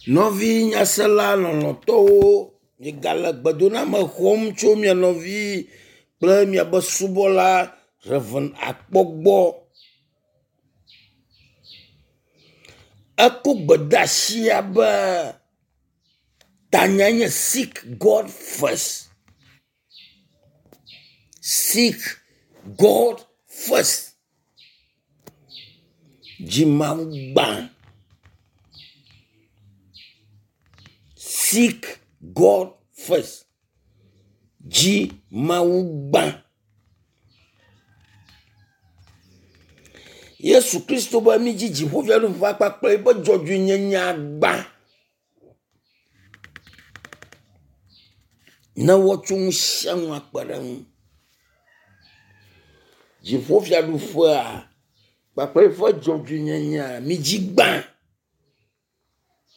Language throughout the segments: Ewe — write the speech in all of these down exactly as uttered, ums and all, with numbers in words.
Nɔvi nyasela lɔlɔ̃tɔwo, miegale gbedoname xɔm tso mia nɔvi kple miaƒe subɔla Rev. Akpɔ gbɔ. Eko gbedeasia be tanyae nye “Seek God first”. Seek God first. Dzi Mawu gbã. Seek God first. Dzi Mawu gbã. Yesu Kristo be mídzi dziƒofiaɖuƒea kpakple eƒe dzɔdzɔenyenye gbã. Ne woatsɔ nu sia nu akpe ɖe eŋu. Dziƒofiaɖuƒea kpakple eƒe dzɔdzɔenyenyea midzi gbã.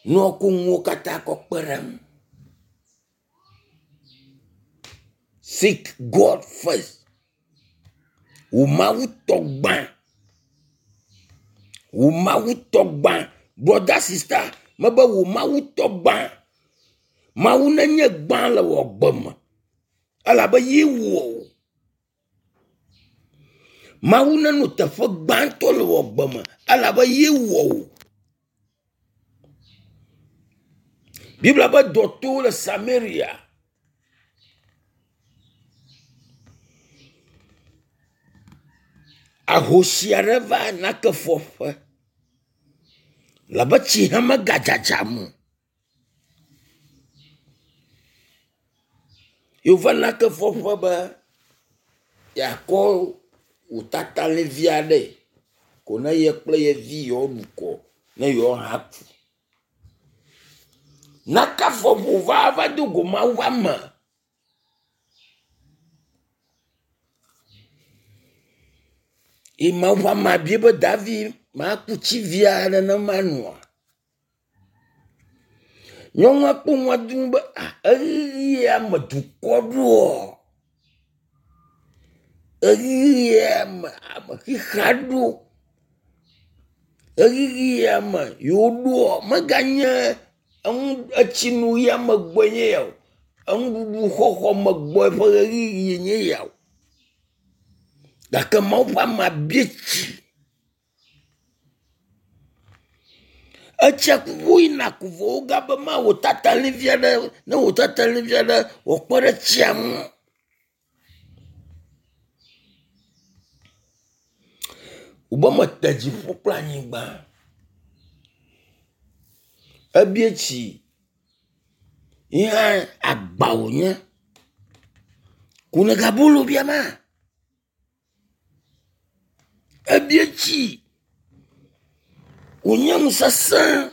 Ne woako nuwo katã kɔ kpe ɖe eŋu. Seek God first. Wò Mawu tɔ gbã. Wò Mawu tɔ gbã. Brother, sister, mebe wò Mawu tɔ gbã. Mawu nenye gbã le wò agbe me elabe ye wɔ wò. Mawu nenɔ teƒe gbãtɔ le wò agbe me elabe ye wɔ wò. Biblia be dɔ to le Samaria. Ahosi aɖe va nake fɔƒe labe tsi hã megadzadzam o. Ye wova nake fɔƒe be yeakɔ wò tatalĩvi aɖe ko ne ye kple ye vi yewoaɖu kɔ ne yewoaha ku. Nake fɔƒe wòva va do go Mawu ƒe ame. Ye Mawu ƒe amea bia be Davi maku tsi vi aɖe ne manoa? Nyɔnua kpɔ nua duu be ah ɣeyiɣi ya me dukɔ ɖoɔ, ɣeyiɣi ya me ame xexea ɖo, ɣeyiɣi ya me yewo ɖoɔ meganye enu etsinu ya me gbɔe nye ya o. Enuɖuɖu xɔxɔ me gbɔe ƒe ɣeyiɣi nye ya o. Gake Mawu ƒe amea bia tsi. Etsia kuku yina ko vɔ wogabe mawɔ tatalĩvi aɖe ne wò tatalĩvi aɖe wòakpe ɖe tsia ŋu. Wòbe mete dziƒo kple anyigba. Ebia tsi ye hã agba wònye. Ko negabolo biama? Ebia tsi wònye nu sesẽ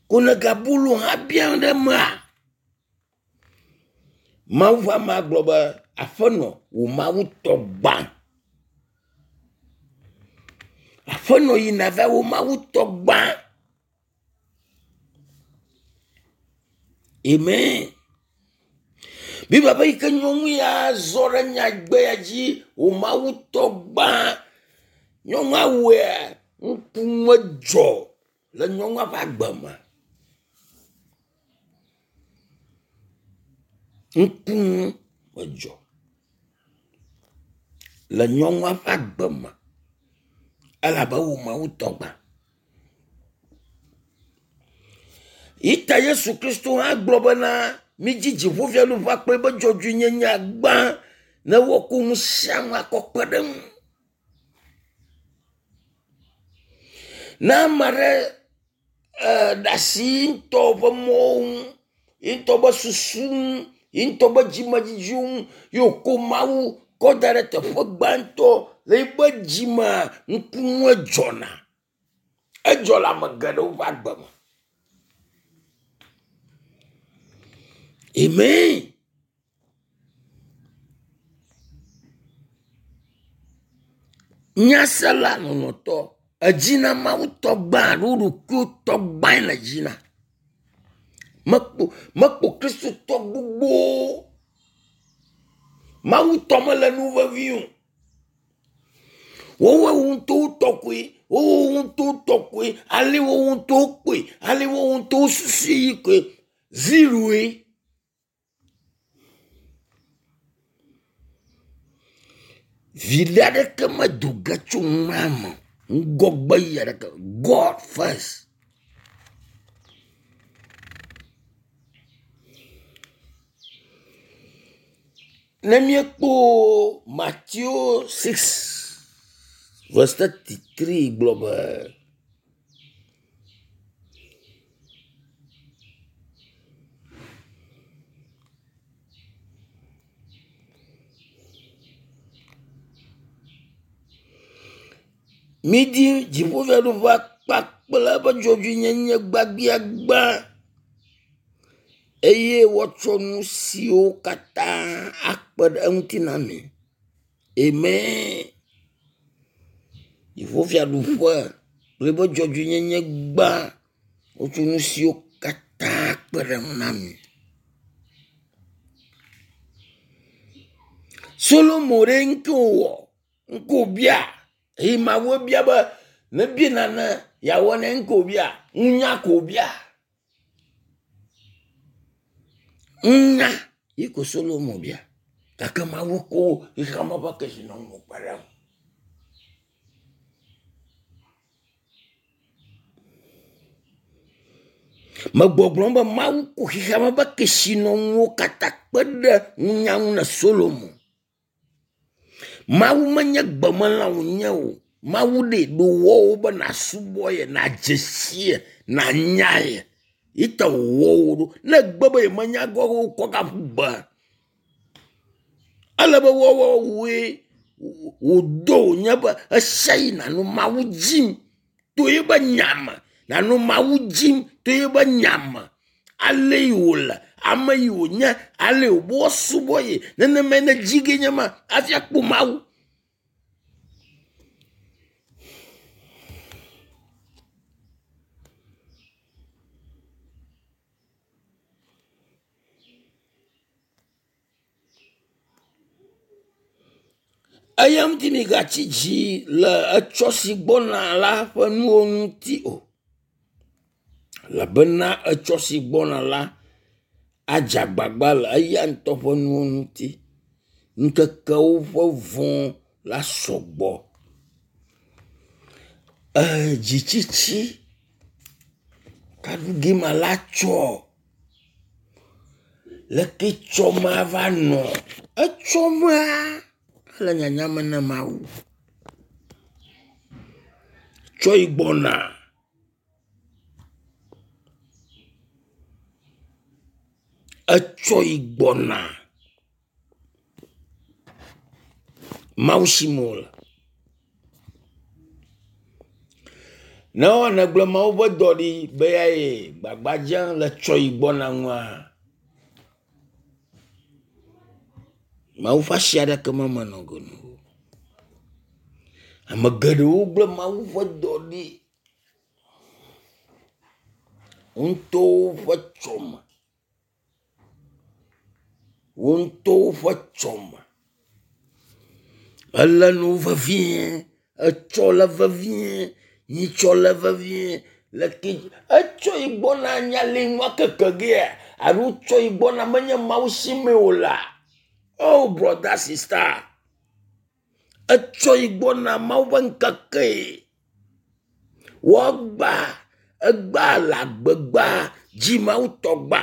ko negabolo hã biam ɖe emea? Mawu ƒe amea gblɔ be aƒenɔ wò Mawu tɔ gbã. Aƒenɔ yina va wò Mawu tɔ gbã. Amen. Biblia be yi ke nyɔnu ya zɔ ɖe nyagbe ya dzi wò Mawu tɔ gbã. Nyɔnua wɔea ŋkume dzɔ le nyɔnua ƒe agbe me. Ŋkume dzɔ le nyɔnua ƒe agbe me elabe wò Mawu tɔ gbã. Yi ta Yesu Kristo hã gblɔ bena midzi dziƒofiaɖuƒea kple eƒe dzɔdzɔenyenye gbã ne woako nu sia nu akɔ kpe ɖe eŋu. Ne ame aɖe ɖe asi ye ŋutɔ ƒe mɔwo ŋu, ye ŋutɔ ƒe susu ŋu, ye ŋutɔ ƒe dzimedzidziwo ŋu ye wòko Mawu kɔ da ɖe teƒe gbãtɔ le eƒe dzimea, ŋkunue dzɔna. Edzɔ le ame geɖewo ƒe agbe me. Amen. Nyasela lɔlɔ̃tɔ, edzina Mawu tɔ gbã alo ɖokuiwò tɔ gbãe le dzina. Mekpo mekpo Kristotɔ gbogbowo. Mawu tɔ mele nu vevi o. Woawoe ŋutɔ wotɔ koe Wowo ŋutɔ tɔ koe, ale wo ŋutɔ kpɔe, ale wo ŋutɔ susui koe. Zeroe. Viɖe aɖeke medo ge tso nua me. Ŋgɔgbe yi aɖeke. God first. Ne míekpɔ Matthew six verse thirty three gblɔ be Midi dziƒofiaɖuƒea kpakple eƒe dzɔdzɔenyenye gbãgbiagbã eye woatsɔ nu siwo katã akpe ɖe eŋuti na mi. Amen. Dziƒofiaɖuƒe kple eƒe dzɔdzɔenyenye gbã wotsɔ nu siwo katã kpe ɖe eŋu na mi. Solomo ɖe ŋke wòwɔ, ŋke wòbia eye Mawu bia be nebia nane yeawɔ ne ŋke wòbia, nunya ko wòbia. Nunya yi ko Solomo bia gake Mawu ko xexeame ƒe kesinɔnuwo kpe ɖe eŋu. Megbɔgblɔm be Mawu ko xexeame ƒe kesinɔnuwo katã kpe ɖe nunya ŋu na Solomo. Mawu menye gbemelã wònye o. Mawu ɖe ɖo wɔwo be nàsubɔ ye, nàdze si ye, nànya ye. Yi ta wòwɔ wò ɖo. Ne egbe be yemenya gɔ wokɔ gaƒu gbe. Ele be woawɔ woe wòdo wònye be ɣesia ɣi nànɔ Mawu dzim to eƒe nya me. Nànɔ Mawu dzim to eƒe nya me. Ale yi wòle, ame yi wònye, ale yi wòbe woasubɔ ye. Nenemae nedzi ge nye ma hafi akpɔ Mawu. Eya ŋuti migatsi dzi le etsɔ si gbɔna la ƒe nuwo ŋuti o. Elabena etsɔ si gbɔna la adze agbagba le eya ŋutɔ ƒe nuwo ŋuti. Ŋkekewo ƒe vɔ̃ la sɔgbɔ. Ee dzitsitsi kaɖu ma la tsɔ. Leke tsɔ ma va nɔ? Etsɔ mea ele nyanya me na Mawu. Tsɔ yi gbɔna. Etsɔ yi gbɔna. Mawu si me wòle. Ne wɔ nègblɔ Mawu ƒe dɔ ɖi be ya yi gbagba dzem le tsɔ yi gbɔna ŋua, Mawu ƒe asi aɖeke memenɔ go nu o. Ame geɖewo gblẽ Mawu ƒe dɔ ɖi. Wo ŋutɔwo ƒe tsɔme. Wo ŋutɔwo ƒe tsɔme. Ele nu vevie, etsɔ le vevie, nyitsɔ le vevie, leke etsɔ yi gbɔna nya li nua keke gea alo tsɔ yi gbɔna menye Mawu si me o la. Oh brother sister, etsɔ yi gbɔna Mawu ƒe ŋkeke. Woagba egba le agbegba dzi Mawu tɔ gbã.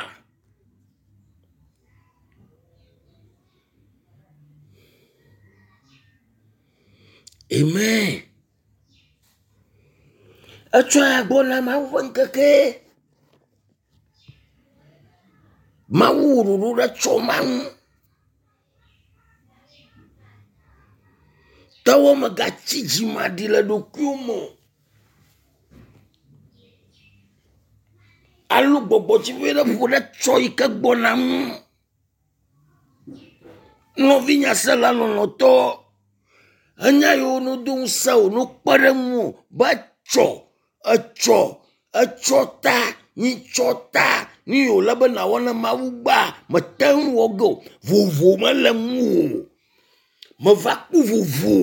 Amen. Etsɔ ya gbɔna Mawu ƒe ŋkeke. Mawu wɔ ɖoɖo ɖe tsɔ ma ŋu. Tɔwɔ megatsi dzimaɖi le ɖokuiwò me o. Alo gbɔgbɔtsiƒe ɖe ƒo ɖe tsɔ yi ke gbɔna ŋu. Nɔvinyasela lɔlɔ̃tɔ, enya yiwo nodo ŋusẽ wò no kpe ɖe ŋuwò be tsɔ, etsɔ, etsɔ ta, nyitsɔ ta, nu yi wòle be nàwɔ ne Mawu gbea, mete ŋu wɔ ge o. Vovo mele ŋuwò o. Meva kpɔ vovo.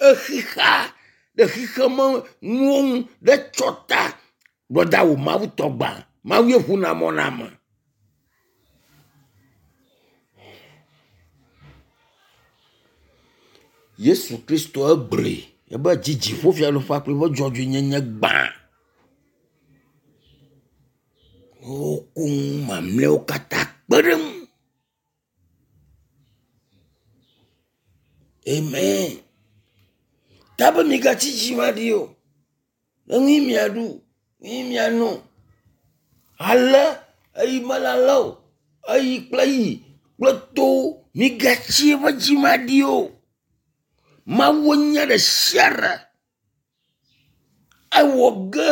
Exixa Ɖe xixeme nuwo ŋu ɖe tsɔ ta. Gbɔda wò Mawu tɔ gbã. Mawu ye ʋuna mɔ na ame. Yesu Kristo egblɔe ebe dzi dziƒofiaɖuƒea kple eƒe dzɔdzɔenyenye gbã. Woko nu mamlɛawo katã kpe ɖe eŋu. Amen. Ta be migatsi dzimaɖi o. Enu yi miaɖu, nu yi miano. Ale eyi mele ale o. Eyi kple yi kple towo migatsi eƒe dzimaɖi o. Mawu nye ɖe sia ɖe. Ewɔ ge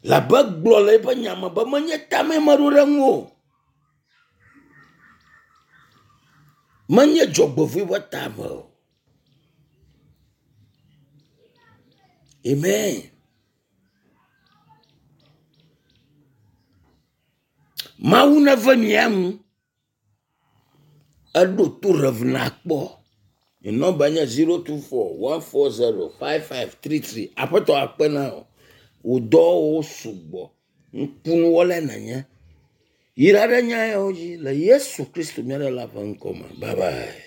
labe gblɔ le eƒe nya me be menye tame meɖo ɖe ŋu o. Menye dzɔgbevɔ̃e ƒe tame o. Amen. Mawu neve mia nu. Eɖo to Rev. Akpɔ. Nye nɔmba nye zero two four one four zero five five three three. Aƒetɔ akpe na wò. Wò dɔwɔwɔwo sugbɔ. Ŋkunuwɔlae nènye. Yra ɖe nya yawo dzi le Yesu Kristo mía Ɖela ƒe ŋkɔ me. Bye bye.